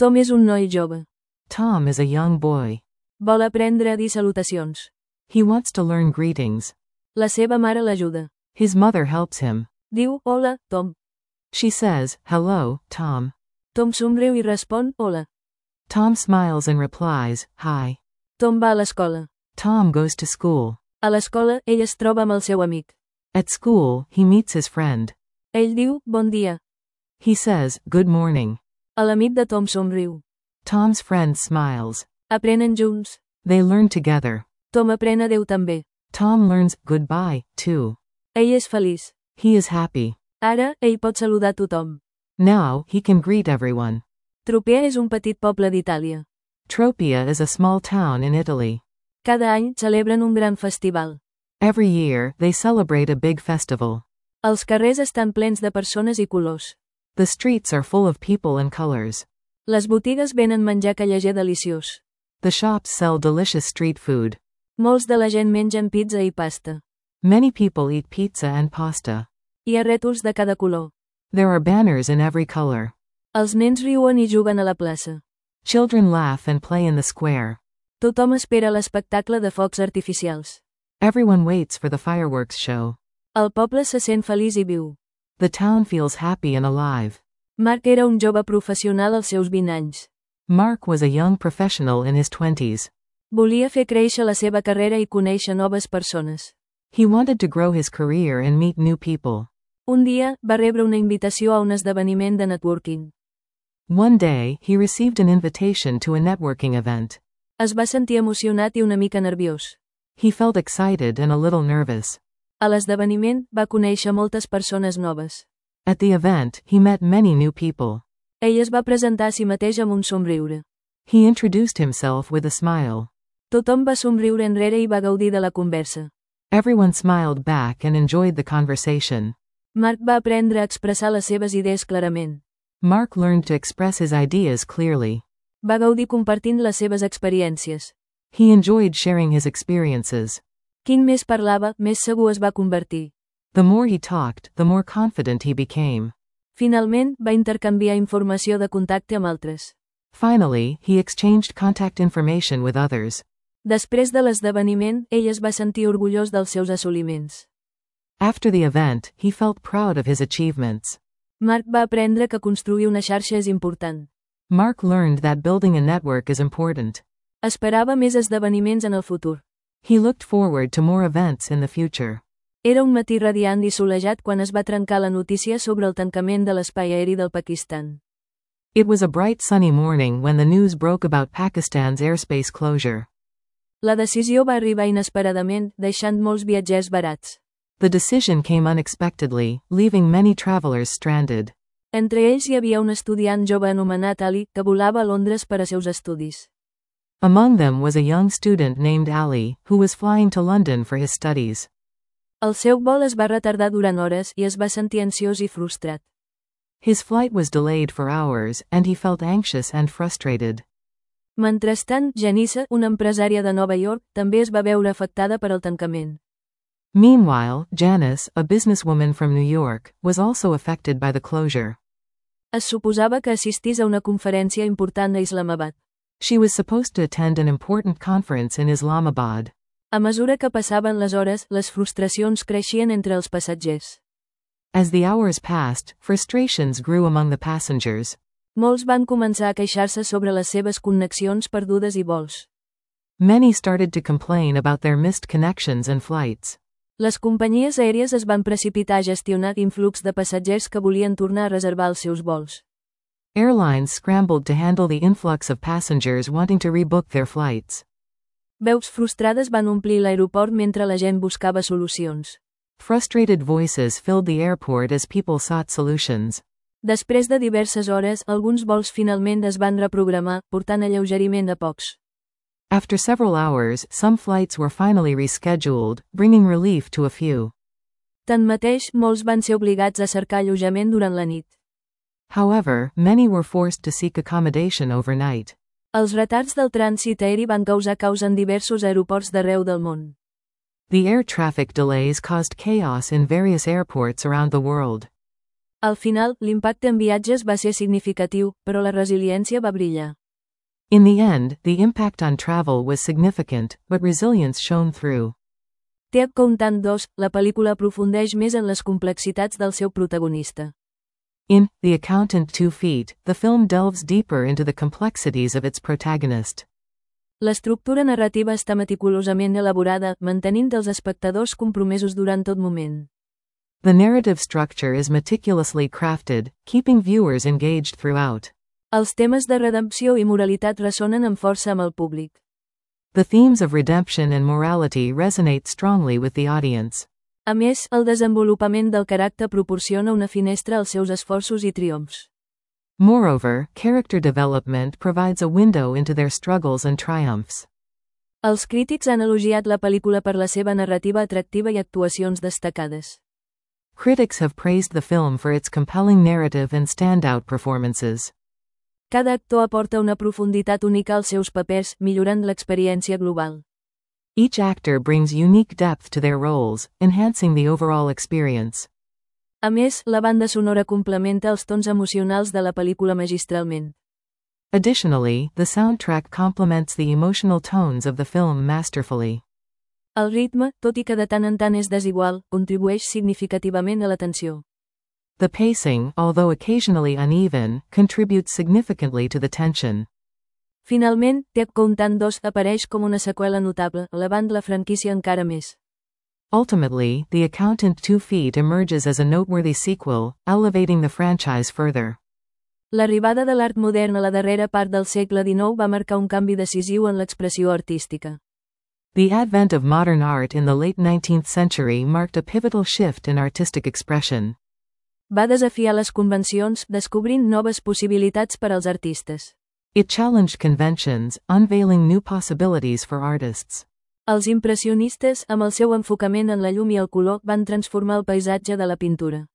Tom és un noi jove. Tom is a young boy. Vol aprendre a dir salutacions. He wants to learn greetings. La seva mare l'ajuda. His mother helps him. Diu, hola, Tom. She says, hello, Tom. Tom somriu i respon, hola. Tom smiles and replies, hi. Tom va a l'escola. Tom goes to school. A l'escola, ell es troba amb el seu amic. At school, he meets his friend. Ell diu, bon dia. He says, good morning. L'amic de Tom somriu. Tom's friend smiles. Aprenen junts. They learn together. Tom aprèn adéu també. Tom learns goodbye, too. Ell és feliç. He is happy. Ara, ell pot saludar tothom. Now, he can greet everyone. Tropea és un petit poble d'Itàlia. Tropea is a small town in Italy. Cada any celebren un gran festival. Every year, they celebrate a big festival. Els carrers estan plens de persones i colors. The streets are full of people and colors. Les botigues venen menjar callejer deliciós. The shops sell delicious street food. Molts de la gent mengen pizza i pasta. Many people eat pizza and pasta. Hi ha rètols de cada color. There are banners in every color. Els nens riuen i juguen a la plaça. Children laugh and play in the square. Tothom espera l'espectacle de focs artificials. Everyone waits for the fireworks show. El poble se sent feliç i viu. The town feels happy and alive. Mark era un jove professional als seus 20 anys. Mark was a young professional in his 20s. Volia fer créixer la seva carrera i conèixer noves persones. He wanted to grow his career and meet new people. Un dia, va rebre una invitació a un esdeveniment de networking. One day, he received an invitation to a networking event. Es va sentir emocionat i una mica nerviós. He felt excited and a little nervous. A l'esdeveniment, va conèixer moltes persones noves. At the event, he met many new people. Ell es va presentar a si mateix amb un somriure. He introduced himself with a smile. Tothom va somriure enrere i va gaudir de la conversa. Everyone smiled back and enjoyed the conversation. Mark va aprendre a expressar les seves idees clarament. Mark learned to express his ideas clearly. Va gaudir compartint les seves experiències. He enjoyed sharing his experiences. Quin més parlava, més segur es va convertir. The more he talked, the more confident he became. Finalment, va intercanviar informació de contacte amb altres. Finally, he exchanged contact information with others. Després de l'esdeveniment, ell es va sentir orgullós dels seus assoliments. After the event, he felt proud of his achievements. Mark va aprendre que construir una xarxa és important. Mark learned that building a network is important. Esperava més esdeveniments en el futur. He looked forward to more events in the future. Era un matí radiant i solejat quan es va trencar la notícia sobre el tancament de l'espai aeri del Pakistan. It was a bright sunny morning when the news broke about Pakistan's airspace closure. La decisió va arribar inesperadament, deixant molts viatgers varats. The decision came unexpectedly, leaving many travelers stranded. Entre ells hi havia un estudiant jove anomenat Ali, que volava a Londres per a seus estudis. Among them was a young student named Ali, who was flying to London for his studies. El seu vol es va retardar durant hores i es va sentir ansiós i frustrat. His flight was delayed for hours, and he felt anxious and frustrated. Mentrestant, Janice, una empresària de Nova York, també es va veure afectada per el tancament. Meanwhile, Janice, a businesswoman from New York, was also affected by the closure. Es suposava que assistís a una conferència important a Islamabad. She was supposed to attend an important conference in Islamabad. A mesura que passaven les hores, les frustracions creixien entre els passatgers. As the hours passed, frustrations grew among the passengers. Molts van començar a queixar-se sobre les seves connexions perdudes i vols. Many started to complain about their missed connections and flights. Les companyies aèries es van precipitar a gestionar influx de passatgers que volien tornar a reservar els seus vols. Airlines scrambled to handle the influx of passengers wanting to rebook their flights. Veus frustrades van omplir l'aeroport mentre la gent buscava solucions. Frustrated voices filled the airport as people sought solutions. Després de diverses hores, alguns vols finalment es van reprogramar, portant alleugeriment a pocs. After several hours, some flights were finally rescheduled, bringing relief to a few. Tanmateix, molts van ser obligats a cercar allotjament durant la nit. However, many were forced to seek accommodation overnight. Els retards del trànsit aeri van causar caos en diversos aeroports d'arreu del món. The air traffic delays caused chaos in various airports around the world. Al final, l'impacte en viatges va ser significatiu, però la resiliència va brillar. In the end, the impact on travel was significant, but resilience shone through. The Accountant 2, la pel·lícula aprofundeix més en les complexitats del seu protagonista. In The Accountant 2 Feet, the film delves deeper into the complexities of its protagonist. L'estructura narrativa està meticulosament elaborada, mantenint els espectadors compromesos durant tot moment. The narrative structure is meticulously crafted, keeping viewers engaged throughout. Els temes de redempció i moralitat ressonen amb força amb el públic. The themes of redemption and morality resonate strongly with the audience. A més, el desenvolupament del caràcter proporciona una finestra als seus esforços i triomfs. Moreover, character development provides a window into their struggles and triumphs. Els crítics han elogiat la pel·lícula per la seva narrativa atractiva i actuacions destacades. Critics have praised the film for its compelling narrative and standout performances. Cada actor aporta una profunditat única als seus papers, millorant l'experiència global. Each actor brings unique depth to their roles, enhancing the overall experience. A més, la banda sonora complementa els tons emocionals de la pel·lícula magistralment. Additionally, the soundtrack complements the emotional tones of the film masterfully. El ritme, tot i que de tant en tant és desigual, contribueix significativament a la tensió. The pacing, although occasionally uneven, contributes significantly to the tension. Finalment, The Accountant 2 apareix com una seqüela notable, elevant la franquícia encara més. Ultimately, The Accountant 2 Feet emerges as a noteworthy sequel, elevating the franchise further. L'arribada de l'art modern a la darrera part del segle XIX va marcar un canvi decisiu en l'expressió artística. The advent of modern art in the late 19th century marked a pivotal shift in artistic expression. Va desafiar les convencions, descobrint noves possibilitats per als artistes. It challenged conventions, unveiling new possibilities for artists. Els impressionistes, amb el seu enfocament en la llum i el color, van transformar el paisatge de la pintura.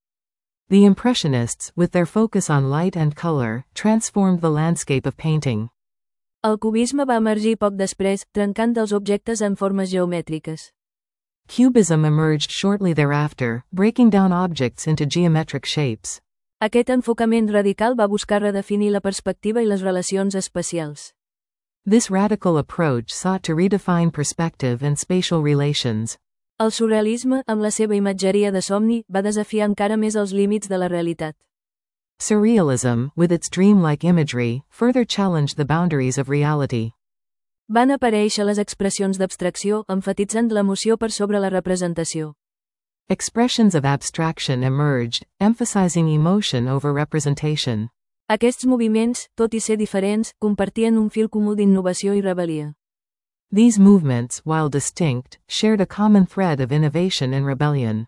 The Impressionists, with their focus on light and color, transformed the landscape of painting. El cubisme va emergir poc després, trencant els objectes en formes geomètriques. Cubism emerged shortly thereafter, breaking down objects into geometric shapes. Aquest enfocament radical va buscar redefinir la perspectiva i les relacions espacials. This radical approach sought to redefine perspective and spatial relations. El surrealisme, amb la seva imatgeria de somni, va desafiar encara més els límits de la realitat. Surrealism, with its dreamlike imagery, further challenged the boundaries of reality. Van aparèixer les expressions d'abstracció, emfatitzant l'emoció per sobre la representació. Expressions of abstraction emerged, emphasizing emotion over representation. Aquests moviments, tot i ser diferents, compartien un fil comú d'innovació i rebel·lia. These movements, while distinct, shared a common thread of innovation and rebellion.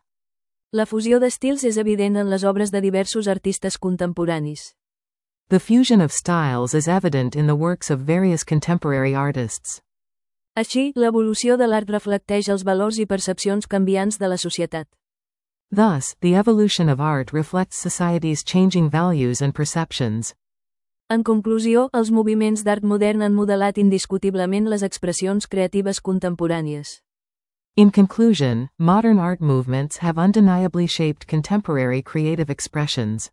La fusió d'estils és evident en les obres de diversos artistes contemporanis. The fusion of styles is evident in the works of various contemporary artists. Així, l'evolució de l'art reflecteix els valors i percepcions canviants de la societat. Thus, the evolution of art reflects society's changing values and perceptions. En conclusió, els moviments d'art modern han modelat indiscutiblement les expressions creatives contemporànies. In conclusion, modern art movements have undeniably shaped contemporary creative expressions.